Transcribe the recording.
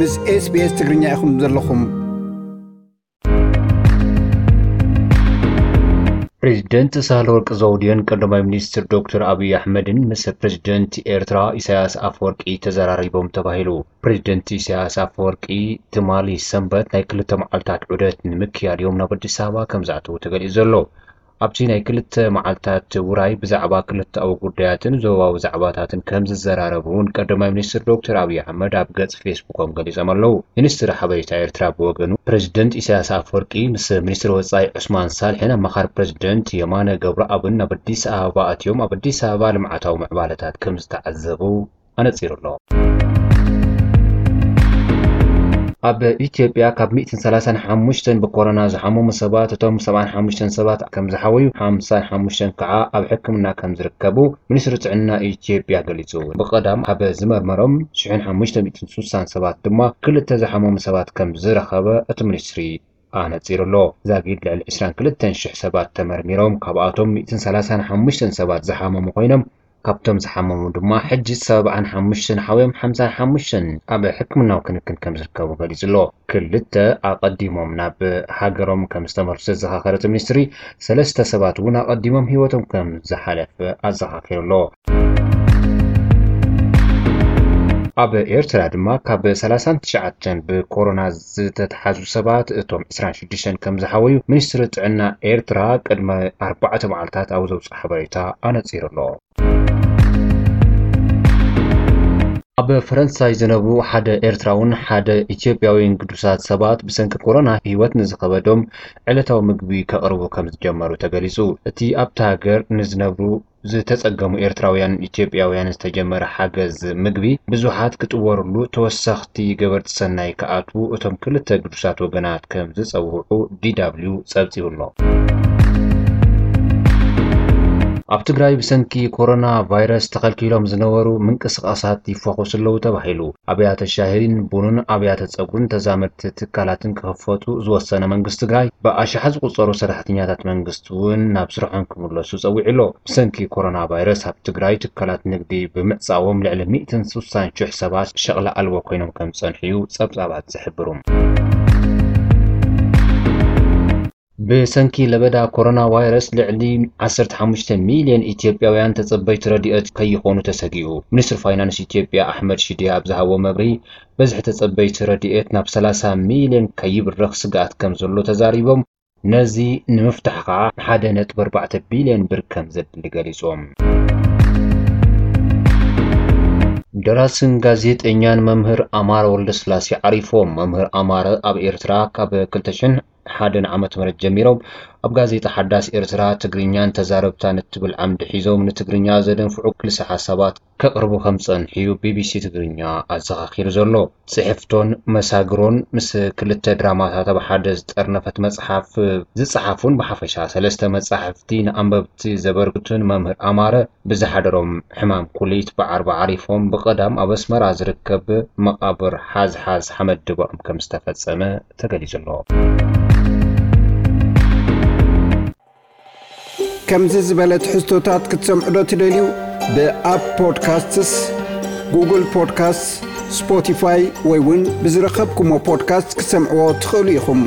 ምስ SBS ትግርኛ ኢኹም ዘለኹም። ፕሬዚደንት ሳህለወርቅ ዘውዴን ቀዳማይ ሚኒስትር ዶክተር ኣብይ ኣሕመድን ምስ ፕሬዚደንት ኤርትራ ኢሳያስ ኣፈወርቂ ተዘራሪቦም ተባሂሉ። ፕሬዚደንት ኢሳያስ ኣፈወርቂ ትማሊ ሰንበት ናይ ክልተ መዓልታት ዑደት ንምክያድ እዮም ናብ ኣዲስ ኣበባ ከም ዝኣተዉ ተገሊጹ ዘሎ። ኣብቲ ናይ ክልተ መዓልታት ውራይ ብዛዕባ ክልተኣዊ ጉዳያትን ዞባዊ ዛዕባታትን ከም ዝዘራረቡ እውን ቀዳማይ ሚኒስትር ዶክተር ኣብይ ኣሕመድ ኣብ ገጽ ፌስቡኮም ገሊጾም ኣለዉ። ሚኒስትሪ ሓበሬታ ኤርትራ ብወገኑ፣ ፕሬዚደንት ኢሳያስ ኣፈወርቂ ምስ ሚኒስትሪ ወጻኢ ዑስማን ሳልሕን ኣማኻሪ ፕሬዚደንት የማነ ገብረኣብን ናብ ኣዲስ ኣበባ ኣትዮም ኣብ ኣዲስ ኣበባ ልምዓታዊ ምዕባለታት ከም ዝተዓዘቡ ኣነጺሩ ኣሎ። ኣብ ኢትዮጵያ ካብ ሚእትን ሰላሳን ሓሙሽተን ብኮሮና ዝሓመሙ ሰባት፣ እቶም ሰብዓን ሓሙሽተን ሰባት ከም ዝሓወዩ፣ ሓምሳን ሓሙሽተን ከዓ ኣብ ሕክምና ከም ዝርከቡ ሚኒስትሪ ጥዕና ኢትዮጵያ ገሊጹ። ብቐዳም ካብ ዝመርመሮም ሽሕን ሓሙሽተ ሚእትን ስሳን ሰባት ድማ ክልተ ዝሓመሙ ሰባት ከም ዝረኸበ እቲ ሚኒስትሪ ኣነጺሩ ኣሎ። ዛጊድ ልዕሊ ዕስራን ክልተን ሽሕ ሰባት ተመርሚሮም፣ ካብኣቶም ሚእትን ሰላሳን ሓሙሽተን ሰባት ዝሓመሙ ኮይኖም፣ ካብቶም ዝሓመሙ ድማ ሕጂ ሰብዓን ሓሙሽተን ሓውዮም ሓምሳን ሓሙሽተን ኣብ ሕክምናዊ ክንክን ከም ዝርከቡ ገሊጹ ኣሎ። ክልተ ኣቐዲሞም ናብ ሃገሮም ከም ዝተመልሱ ዘዘኻኸረ እቲ ሚኒስትሪ፣ ሰለስተ ሰባት እውን ኣቐዲሞም ህይወቶም ከም ዝሓለፈ ኣዘኻኺሩ ኣሎ። ኣብ ኤርትራ ድማ ካብ ሰላሳን ትሽዓተን ብኮሮና ዝተትሓዙ ሰባት እቶም ዕስራን ሽዱሽተን ከም ዝሓወዩ ሚኒስትሪ ጥዕና ኤርትራ ቅድሚ ኣርባዕተ መዓልታት ኣብ ዘውፅኦ ሓበሬታ ኣነፂሩ ኣሎ። ኣብ ፈረንሳይ ዝነብሩ ሓደ ኤርትራውን ሓደ ኢትዮጵያዊን ግዱሳት ሰባት ብሰንኪ ኮሮና ህይወት ንዝኸበዶም ዕለታዊ ምግቢ ከቕርቡ ከም ዝጀመሩ ተገሊጹ። እቲ ኣብታ ሃገር ንዝነብሩ ዝተጸገሙ ኤርትራውያን ኢትዮጵያውያን ዝተጀመረ ሓገዝ ምግቢ ብዙሓት ክጥወርሉ ተወሰኽቲ ገበርቲ ሰናይ ክኣትዉ እቶም ክልተ ግዱሳት ወገናት ከም ዝጸውዑ ዲ ደብሊው ጸብጺቡ ኣሎ። ኣብ ትግራይ ብሰንኪ ኮሮና ቫይረስ ተኸልኪሎም ዝነበሩ ምንቅስቓሳት ይፈኹሱ ኣለዉ ተባሂሉ። ኣብያተ ሻሂን ቡንን ኣብያተ ጸጉርን ተዛመድቲ ትካላትን ክኸፈቱ ዝወሰነ መንግስቲ ትግራይ ብኣሽሓት ዝቑጸሩ ሰራሕተኛታት መንግስቲ እውን ናብ ስርሖም ክምለሱ ጸዊዑ ኣሎ። ብሰንኪ ኮሮና ቫይረስ ኣብ ትግራይ ትካላት ንግዲ ብምዕጻዎም ልዕሊ ሚእትን ስሳን ሽሕ ሰባት ሸቕላ ኣልቦ ኮይኖም ከም ዝጸንሑ እዩ ጸብጻባት ዝሕብሩ። ብሰንኪ ለበዳ ኮሮና ቫይረስ ልዕሊ ዓሰርተ ሓሙሽተ ሚልዮን ኢትዮጵያውያን ተጸበይቲ ረድኤት ከይኾኑ ተሰጊኡ። ሚኒስትር ፋይናንስ ኢትዮጵያ ኣሕመድ ሽዴ ኣብ ዝሃቦ መብርሂ፣ በዝሒ ተጸበይቲ ረድኤት ናብ ሰላሳ ሚልዮን ከይብርኽ ስግኣት ከም ዘሎ ተዛሪቦም፣ ነዚ ንምፍታሕ ከኣ ሓደ ነጥቢ ኣርባዕተ ቢልዮን ብር ከም ዘድሊ ገሊጾም። ደራስን ጋዜጠኛን መምህር ኣማረ ወልደስላሴ ዓሪፎም። መምህር ኣማረ ኣብ ኤርትራ ካብ ክልተ ሽሕን ሓደን ዓመተ ምህረት ጀሚሮም ኣብ ጋዜጣ ሓዳስ ኤርትራ ትግርኛን ተዛረብታን እትብል ዓምዲ ሒዞም ንትግርኛ ዘደንፍዑ ክልሰ ሓሳባት ከቕርቡ ከም ዝጸንሑ እዩ ቢቢሲ ትግርኛ ኣዘኻኺሩ ዘሎ። ጽሕፍቶን መሳግሮን ምስ ክልተ ድራማታት ኣብ ሓደ ዝጠርነፈት መጽሓፍ ዝጸሓፉን ብሓፈሻ ሰለስተ መጻሕፍቲ ንኣንበብቲ ዘበርክቱን መምህር ኣማረ ብዝሓደሮም ሕማም ኩሊት ብዓርቢ ዓሪፎም ብቐዳም ኣብ ኣስመራ ዝርከብ መቓብር ሓዝሓዝ ሓመድ ድባኦም ከም ዝተፈጸመ ተገሊጹ ኣሎ። ከምዚ ዝበለ ትሕዝቶታት ክትሰምዑ ዶ ትደልዩ? ብኣፕ ፖድካስትስ፣ ጉግል ፖድካስትስ፣ ስፖቲፋይ ወይ እውን ብዝረኸብኩሞ ፖድካስት ክትሰምዕዎ ትኽእሉ ኢኹም።